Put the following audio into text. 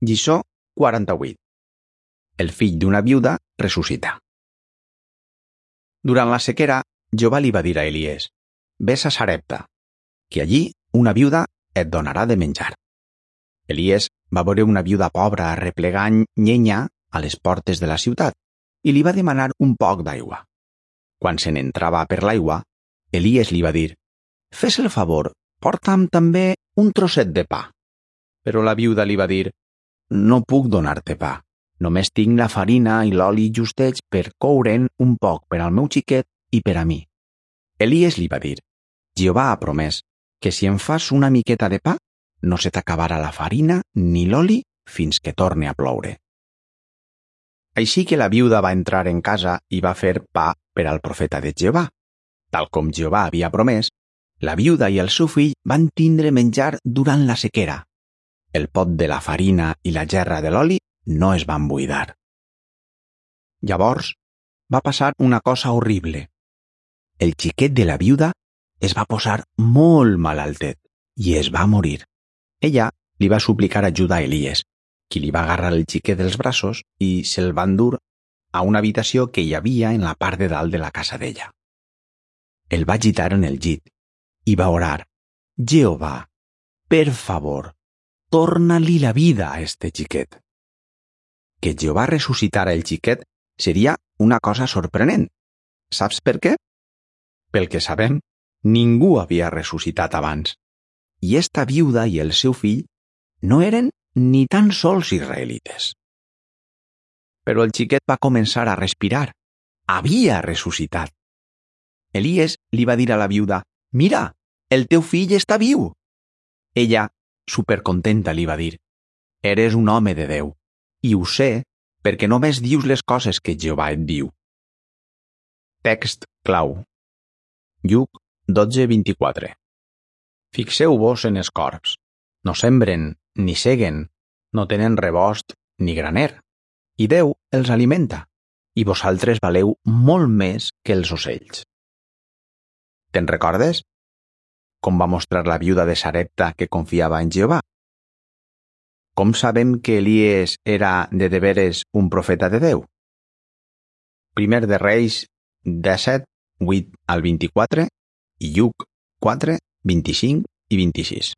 Lliçó 48. El fill d'una viuda ressuscita. Durant la sequera, Jehovà li va dir a Elies: «Ves a Sarepta, que allí una viuda et donarà de menjar». Elies va veure una viuda pobra arreplegant llenya a les portes de la ciutat i li va demanar un poc d'aigua. Quan se n'entrava per l'aigua, Elies li va dir: «Fes el favor, porta'm també un trosset de pa». Però la viuda li va dir: «No puc donar-te pa. Només tinc la farina i l'oli justets per coure'n un poc per al meu xiquet i per a mi». Elies li va dir: «Jehovà ha promès que si em fas una miqueta de pa, no se t'acabarà la farina ni l'oli fins que torne a ploure». Així que la viuda va entrar en casa i va fer pa per al profeta de Jehovà. Tal com Jehovà havia promès, la viuda i el seu fill van tindre menjar durant la sequera. El pot de la farina i la gerra de l'oli no es van buidar. Llavors va passar una cosa horrible. El xiquet de la viuda es va posar molt malaltet i es va morir. Ella li va suplicar ajuda a Elies, qui li va agarrar el xiquet dels braços i se'l va endur a una habitació que hi havia en la part de dalt de la casa d'ella. El va agitar en el llit i va orar: «Jehovà, per favor, torna-li la vida a este xiquet». Que Jehovà ressuscitara el xiquet seria una cosa sorprenent. Saps per què? Pel que sabem, ningú havia ressuscitat abans. I esta viuda i el seu fill no eren ni tan sols israelites. Però el xiquet va començar a respirar. Havia ressuscitat. Elies li va dir a la viuda: «Mira, el teu fill està viu». Ella, supercontenta, li va dir: «Eres un home de Déu, i ho sé perquè només dius les coses que Jehovà et diu». Text clau. Lluc 12:24. Fixeu-vos en els corbs. No sembren, ni seguen, no tenen rebost ni graner, i Déu els alimenta, i vosaltres valeu molt més que els ocells. Te'n recordes? Com va mostrar la viuda de Sarepta que confiava en Jehovà? Com sabem que Elies era de veres un profeta de Déu? Primer de Reis 17, 8 al 24 i Lluc 4, 25 i 26.